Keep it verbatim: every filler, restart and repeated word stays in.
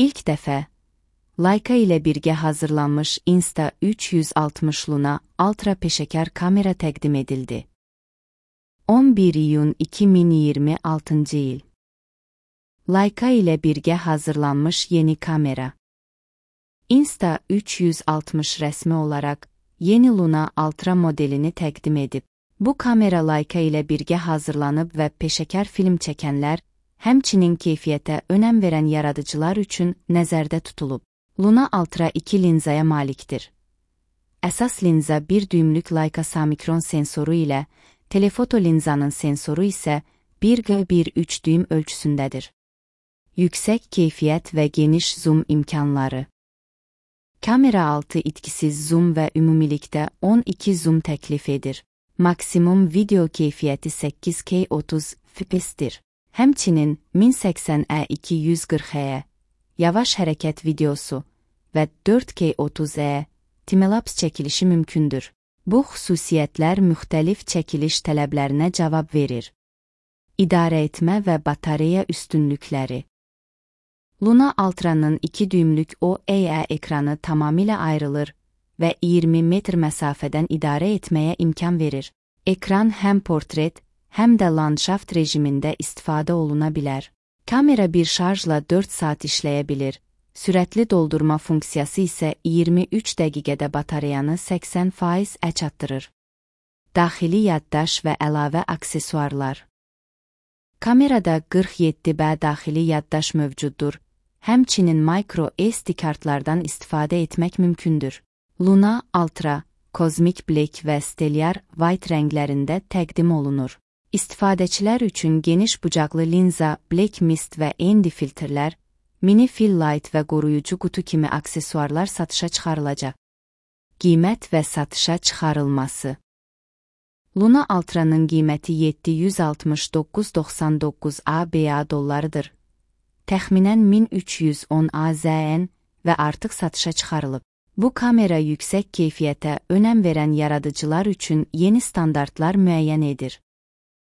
İlk dəfə, Leica ilə birgə hazırlanmış Insta üç yüz altmış Luna Ultra peşəkar kamera təqdim edildi. on bir iyun iki min iyirmi altıncı il. Leica ilə birgə hazırlanmış yeni kamera. Insta üç yüz altmış rəsmi olaraq yeni Luna Ultra modelini təqdim edib. Bu kamera Leica ilə birgə hazırlanıb və peşəkar film çəkənlər, həmçinin keyfiyyətə önəm verən yaradıcılar üçün nəzərdə tutulub. Luna Ultra iki linzaya malikdir. Əsas linza bir düymlük Leica Samikron sensoru ilə, telefoto linzanın sensoru isə bir qırx bir üç düym ölçüsündədir. Yüksək keyfiyyət və geniş zoom imkanları. Kamera altı itkisiz zoom və ümumilikdə on iki zoom təklif edir. Maksimum video keyfiyyəti səkkiz K otuz F P S-dir. Həmçinin min səksən E iki yüz qırx E, yavaş hərəkət videosu və dörd K otuz E timelaps çəkilişi mümkündür. Bu xüsusiyyətlər müxtəlif çəkiliş tələblərinə cavab verir. İdarə etmə və batareya üstünlükləri. Luna Ultra'nın iki düymlük O L E D ekranı tamamilə ayrılır və iyirmi metr məsafədən idarə etməyə imkan verir. Ekran həm portret, həm də landşaft rejimində istifadə oluna bilər. Kamera bir şarjla dörd saat işləyə bilir. Sürətli doldurma funksiyası isə iyirmi üç dəqiqədə batareyanı səksən faiz ə çatdırır. Daxili yaddaş və əlavə aksesuarlar. Kamerada qırx yeddi B daxili yaddaş mövcuddur. Həmçinin micro S D kartlardan istifadə etmək mümkündür. Luna Ultra, Cosmic Black və Stellar White rənglərində təqdim olunur. İstifadəçilər üçün geniş bucaqlı linza, Black Mist və N D filtrlər, mini fill light və qoruyucu qutu kimi aksesuarlar satışa çıxarılacaq. Qiymət və satışa çıxarılması. Luna Ultra'nın qiyməti yeddi yüz altmış doqquz min doxsan doqquz A B A dollarıdır. Təxminən min üç yüz on A Z N və artıq satışa çıxarılıb. Bu kamera yüksək keyfiyyətə önəm verən yaradıcılar üçün yeni standartlar müəyyən edir.